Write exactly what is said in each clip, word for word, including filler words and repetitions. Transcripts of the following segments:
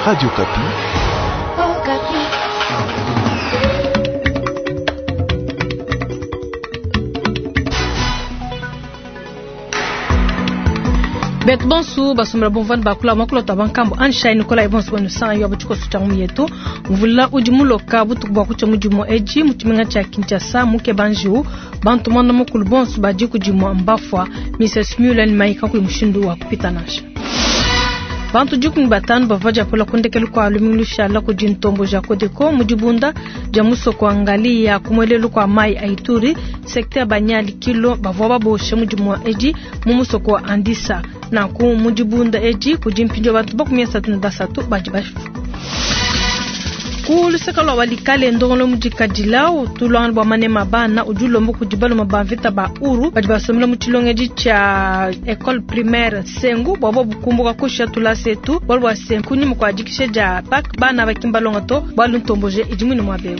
Radio Okapi. Betu bonsu basombela bomvani bakula makulota bankambo anshai Nikolai bonsu banu sanga yo butshikoso tshia mu yetu mvula udi muloka butuku bua kutshia mudimu eji mu tshimenga tshia Kinshasa muke banjiu bantu mwanda mukulu bonsu badi kudimua mbafwa Missus Mulen maika kuyi mushindu wa kupita nansha. Bantu dikumi batanu bavua diapola kundekelu kwa lumingu lushala kudi ntombo ja Kodeko mu dibunda dia musoko wa Ngali ya kumwelelu kwa mai a Ituri secteur Banyali kilo bavua baboshe mudimu edi mu musoko wa Andisa nanku mu dibunda edi kudi mpindio bantu bakumi asatu ne basatu badi bafu. Ku luseka lwa walikale ndongolo mudikadila utulwanga bwa manema bana udi ulomba kudi baluma ba mvita ba uru badi basomela mu tshilongedi tshia école primaire Sengu bwa bo bukumbuka kusha tulasetu bwalu bwa Sengu kunyima kwa dikisha dia pak bana bakimbalonga to bwalu ntomboje idi mwine mwa beu.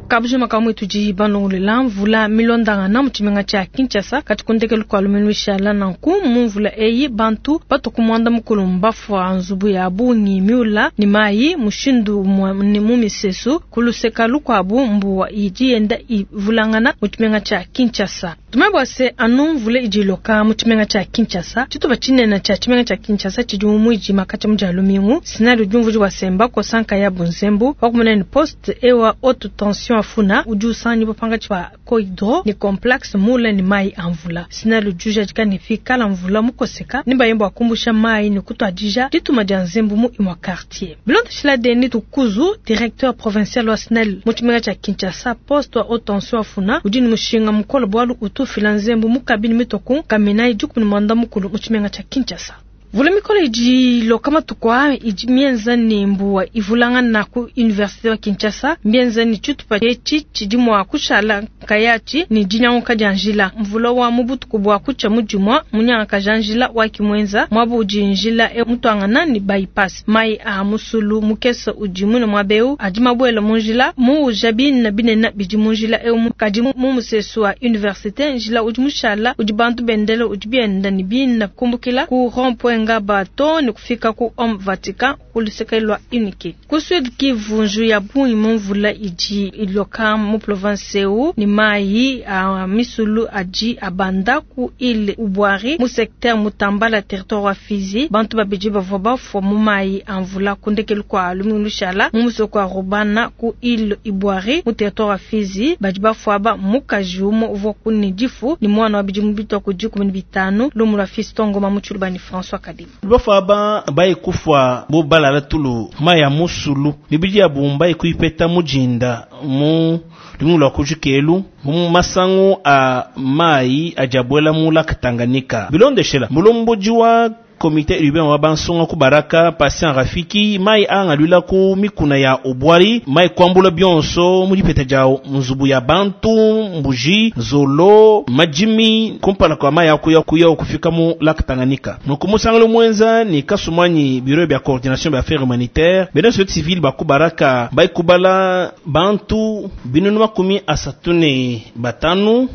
Kabujima kamwe tudi banongolela mvula milondanga mu tshimenga tshia Kinshasa kati kundekelu kwa lumingu lushala nanku mu mvula eyi bantu batokumwanda mukulu mbafwa nzubu ya bungi miula ni mai mushindu ni mu misesu kuluseka lukwabu mbuwa idi yenda ivulangana mu tshimenga tshia Kinshasa. Tumebwa se anu mvula idi iloka mu tshimenga tshia Kinshasa tshitupa tshinene tshia tshimenga tshia Kinshasa tshidi mu muidima kati mu dia lumingu sinali udi umvuji wa semba kosanka ya bunzembu wakumena ni poste ewa haute tension afuna udi usanyi bapanga tshia koidro ni complexe mula ni mai amvula sinali ujuja jika fikala mvula mukoseka ni bayembo akumbusha mai ni kutwadija dituma dia nzembu mu imwa quartier bilonda shila Denis Tukuzu directeur provincial wa SNEL mu tshimenga tshia Kinshasa poste wa haute tension afuna udi ni mushinga mukolo bwalu utu fila nzembu mu kabini mitoku kamina ijuku ni mwanda mukulu mu tshimenga tshia Kinshasa. Vula mikolo idi loka matuku idi mienza ni mbuwa ivulanga na ku universite wa Kinshasa mienza ni tshitupa etshi tshidi mua kushala nkayachi ni dinyanguka dia njila mvula wa mubutuku bua kutshia mudimua munyanguka dia njila wa kimwenza muabu udi njila e mutuangana ni bypass mai a musulu mukesa udi mune muabeu adi mabuela mu njila muuja bina binena bidi mu njila eu kadi mu musesu wa universite njila udi mushala udi bantu bendele udi bienda ni bina kumbukila ku rond-point Ngabato ni kufika ku Homme Vatican kuluseka lwa unike. Ku Sud Kivu nju ya bungi mu mvula idi iloka mu province eu ni mai a misulu adi abanda ku ile Ubwari mu secteur Mutambala territoire wa Fizi bantu babidi bavua bafua mu mai a mvula kundekelu kwa lumingu lushala mu musoko wa Rubana ku ile Ibwari mu territoire wa Fizi badi bafua ba mukaji umwe uvua kuni difu ni mwana wa bidimu bitwa ku dikumi ni bitanu lumu lwa Fiston Ngoma mu Tshilubani François Kadima. Bafua ba bayi kufua bo balala tulu maya musulu mibidi ya bumba ikuipeta mujinda mu lumingu lwa kujukelu mu masangu a mai ajabwela mu lac Tanganyika bilondeshela mulomboji wa comité urbain wa bansonga ku baraka Patient Rafiki mai angalwila ku mikuna ya Ubwari mai kwambula bionso mu dipeta dia nzubu ya bantu mbuji zolo majimi kumpala kwa mai akuya kuya kufika mu lac Tanganyika nuku musangalo mwenza ni kasumanyi bureau ya coordination ya affaires humanitaires bena société civile ba ku baraka bai kubala bantu binunu makumi asatu ne batanu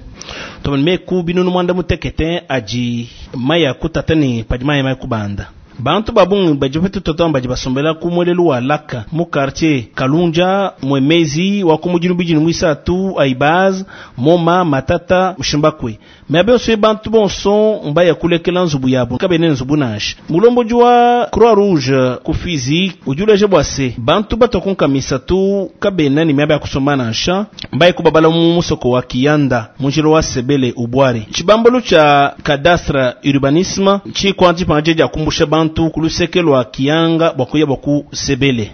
tomene ku binunu mwanda mutekete aji maya kutatani padi maya maya kubanda bantu babungi badi bapeta toto badi basombela ku mwelelu wa laka mu quartier Kalunja mwemezi wa ku mudinu bidinu mwisatu aibaz moma matata mushimbakwe me abe bantu bonso mbaya kulekela nzubu yabo kabene nzubu nansha mulomboji wa Croix Rouge ku Fizi ujuleje bwase bantu batokunka misatu kabena ni miaba ya kusoma nansha mbaye kubabala mu musoko wa Kiyanda munjilo wa Sebele Ubwari chibambalo cha cadastre urbanisme chikwanji panje ja kumbusha bantu kuluseke lwa Kiyanga bwakuya bwaku Sebele.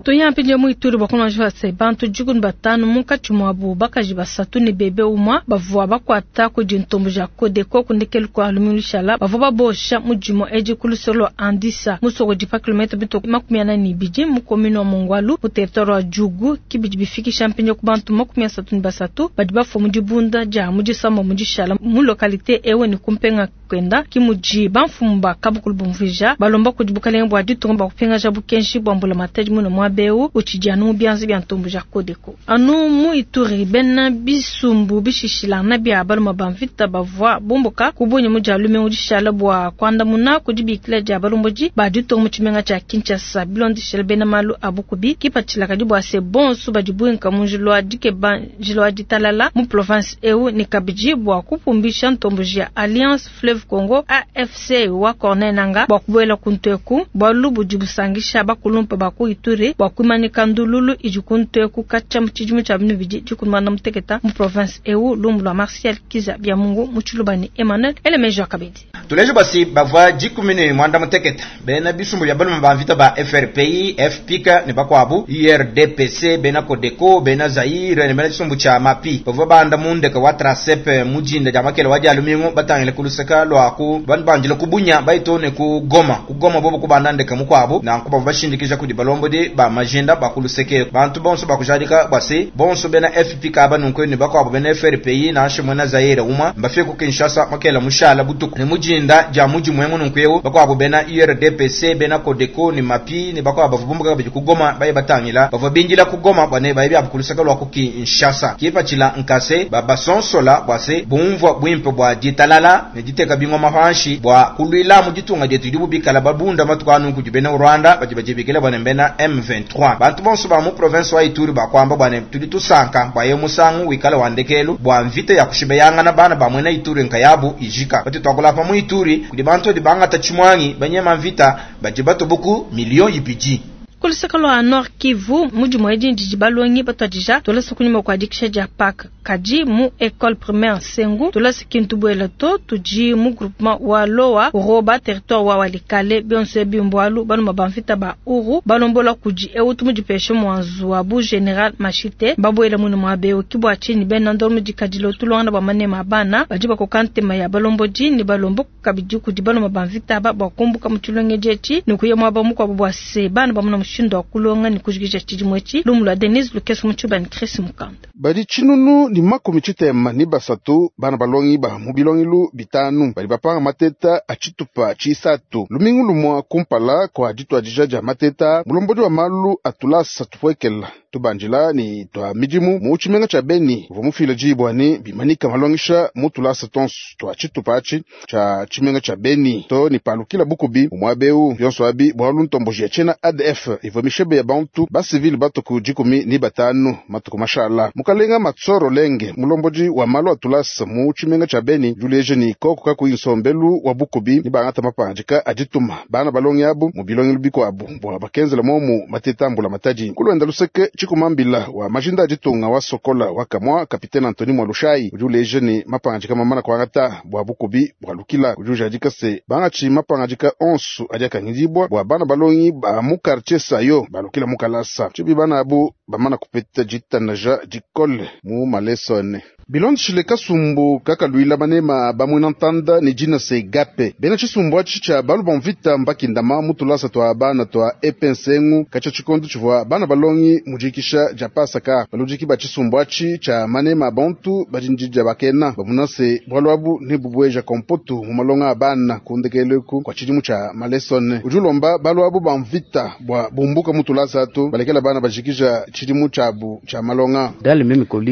Toya mpinje mu Ituri bakona jwa bantu jikun batanu munkatshi mwabu bakaji basatu ni bebe umwa bavua bakwata kudi ntombo ja Kodeko kundekelu kwa lumingu lushala bavua babosha mudimo edi kulusolo Andisa musoko di pa kilometre bito makumi ana ni bidi mu commune wa Mongwalu mu territoire wa Djugu kibidi bifikisha mpinje ku bantu makumi asatu ni basatu badi bafua mu dibunda dia mu disamba mu dishala mu localité ewe ni kumpenga kwenda kimuji bamfumu ba kabukulu bumvija balomba kudi bukalenge bua ditunga bua kupingaja bukenji bua mbulamatadi muno mwabe Muaba eu utshidi anu mu bianza bia ntomboji ya Codeco. Anu mu Ituri, bena bisumbu bishishilangana bia balume ba mvita bavua bumbuka ku Bunia mu dia lumingu dishala bua kuandamuna ku dibikila dia balombodi ba ditunga mu tshimenga tshia Kinshasa. Bilondeshile bena malu a bukubi, kipatshila kadi bua se bonso badi buinka mu njila wa dikeba njila wa ditalala mu province eu ne kabidi bua kupumbisha ntomboji ya Alliance Fleuve Congo A F C wa Corneille Nangaa bua kubuela ku nteku, bualu budi busangisha bakulumpa ba ku Ituri bua kuimanyika ndululu idi ku nteku katshia mu tshidimu tshia bibidi dikumi na muteketa mu province eu. Lumbu lua Martial Kiza Byamungu mu Tshiluba ne Emmanuel Elemejo Kabedi. Tuleje basi bavua dikumi ne mwanda muteketa bena bisumbu bya balume ba mvita ba F R P I, F P K ne bakuabu I R D P C, bena Codeco, bena Zaire ne bena tshisumbu tshia Mapi bavua banda mundeke wa Trasep mujinda dia makele wa dia lumingu batangile kuluseka lwa ku bandu ku Bunia baitone ku Goma ku Goma bobo kubanda ndeke mukwabo na nkuba bashindikija kudi balombodi ba majinda bakuluseke bantu bonso bakujadika basi bonso bena F P K banunku ne bakwabo bena F R P I na shimwe Zaire uma mbafike ku Kinshasa makela mushala butuku ne mujinda dia muji mwemu nunku bakwabo bena I R D P C bena Codeco ne Mapi ne bakwabo bavumbuka badi ku Goma baye batangila bavua bindila ku Goma bane baye bya kuluseka lwa ku Kinshasa kipachila nkase babasonsola bwase bumvwa bwimpe bwa ditalala ne diteka bingoma panshi bwa kulwila mu ditunga dietu dibu bikala babunda matukanu ku bena Rwanda badi bajibikela bane bena M vingt-trois bantu bonso ba mu province wa Ituri bakwamba bwane tudi tusanka bwa musangu wikala wandekelu bwa mvita ya kushibeyangana bana ba mwena Ituri nkayabu ijika bati twakula pa mu Ituri kudi bantu di bangata chimwangi banyema mvita baji batubuku million ibidi. Kuluseka lwa Nord Kivu mudi mwedi ndidi balongi batwadija tolasa kunyuma kwa dikisha dia pak kadi mu école primaire Sengu tolasa kintu bwela to tudi mu groupement wa Loa Roba territoire wa Walikale bionse bimbwalu banu mabamvita ba uru balombola kudi eutu mudi peshe mwanzu wa bu général Machite babwela munu mwabe kibwa chini bena ndoro mudi kadilo tulonga ba manema bana badi bakokante ya balombodi ni balombo kabidi kudi banu mabamvita ba bakumbuka mutulonge jechi nukuye mwaba mukwa bwa se bana bamuna mushindo kulonga ni kujikisha chidimwechi lumula Denise Lukeso Muchuba ni Chris Mukanda badi chinunu ni makumi chitema ni basatu bana balongi ba mu bilongilu bitanu bali bapanga mateta achitupa chisatu lumingu lumwa kumpala kwa ditwadija dia mateta mulombodi wa malu atulasa tupwekela tubanjila ni twa midimu mu tshimenga tsha Beni uvua mufila dibwani bimanika malongisha mu tulasa tonso twa tshitupa atshi tsha tshimenga tsha Beni to ni palukila bukubi umwabeu byonso abi bwalu ntomboji ya tshena A D F ivua mishebe ya bantu basivili batuku dikumi ni batanu matuku mashala mukalenga matsoro lenge mulombodi wa malu atulasa mu tshimenga tsha Beni juleje ni koko kakuyi nsombelu wa bukubi ni bangata mapanjika adituma bana balongi abu mu bilongilu bikuabu bwa bakenzela momu matetambula matadi kulwenda luseke chikumambila wa majinda aditunga wa sokola wa kamwa kapitene Antoni Mwalushai ujuleje ni mapanjika mamana kwangata bwa bukubi bwa lukila ujujadika se bangachi mapanjika onsu adiakangidibwa bwa bana balongi ba mu quartier sayo balukila mukalasa chibi bana abu bamana kupeta jitanaja dikole mu malesone bilondishile kasumbu kakalwila manema bamwina ntanda ni jina se gape bena chisumbu achi cha balu bamvita mbakindama mutulasa twa bana twa epensengu kacha chikondo chivwa bana balongi mujikisha japasaka balujiki ba chisumbu achi cha manema bantu bajinjija bakena bamunase bwalwabu ni bubweja kompotu mu malonga abana kundekeleku kwa chidimu cha malesone ujulomba balwabu bamvita bwa bumbuka mutulasa atu balekela bana bajikisha chidimu chabu cha malonga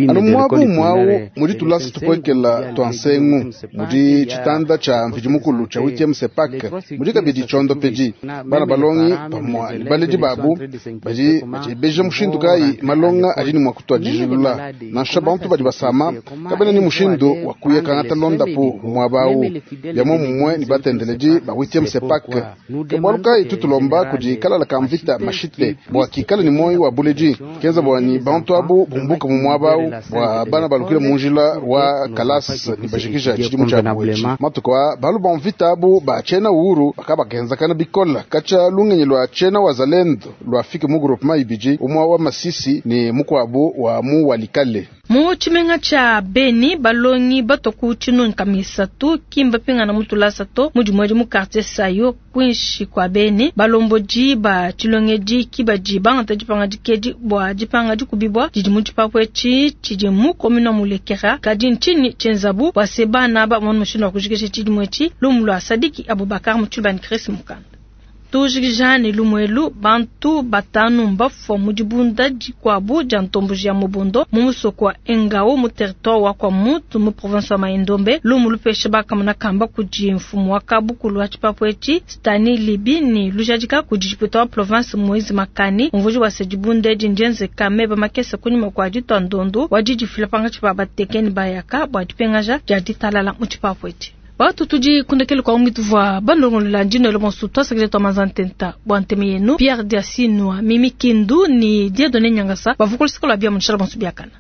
alumwabu mwawu mudi tulasa tukwekela twa nsengu mudi chitanda cha mvidimukulu cha huitième sepak mudi kabidi chondo peji bana balongi pamwa ni baledi babu badi bajebeja mushindu kayi malonga adini mwa kutwa dijilula nansha bantu badi basama kabena ni mushindu wa kuyekangata londapu mwabawu byamo mumwe ni batendeledi ba huitième sepak kebwalu kayi tutulomba kudi kalala ka mvita mashite bwa kikala ni moyi wa buledi kenza bwa ni bantu abu bumbuka mu mwabawu bwa bana balukile munjila wa kalas ni bashikisha chidimu cha bwechi matuko balu bamvita abu ba chena uhuru bakabagenzakana bikola kacha lungenyi lwa chena wazalendo lwafike mu groupement ibiji umwa wa Masisi ni mukwabu wa mu Walikale mu tshimenga tsha Beni balongi batoku tshinonka misatu kimba pingana mutulasa to mudi mu quartier Sayo kwinshi kwa Beni balombodi ba tshilongedi kibaji bangata dipanga dikedi bwa dipanga dikubibwa didi mu tshipapwe tshidi mu commune mulekera kadi nchini tsenzabu bwa sebana ba mwana mushindu wa kujikisha tshidimwe tshi lumu lwa Sadiki Abubakar mu tshibani Chris Mukanda. Tujikija ne lumuelu bantu batanu mbafua mu dibunda dikuabu dia ntomboji ya Mobondo mu musoko wa Engao mu territoire wa Kwamouth mu province wa Mai-Ndombe. Lumu lupesha bakamuna kamba kudi mfumu wa kabukulu wa tshipapu etshi Stani Libi ni lujadika kudi député wa province Moise Makani umvuji wa se dibunda edi ndienzeka meba makese kunyima kua ditua ndondo wa didifila pangatshi pa batekeni bayaka bua dipengaja dia ditalala mu tshipapu etshi. Batu tudi kundekele kwa ungi tuvua bandongolola ndino bonso twasakile twa manzantenta bwa nteme yenu Pierre Diasinwa Mimi Kindu ni Dieudonné Nyangasa bavukulisikola bia munshala bonso biakana.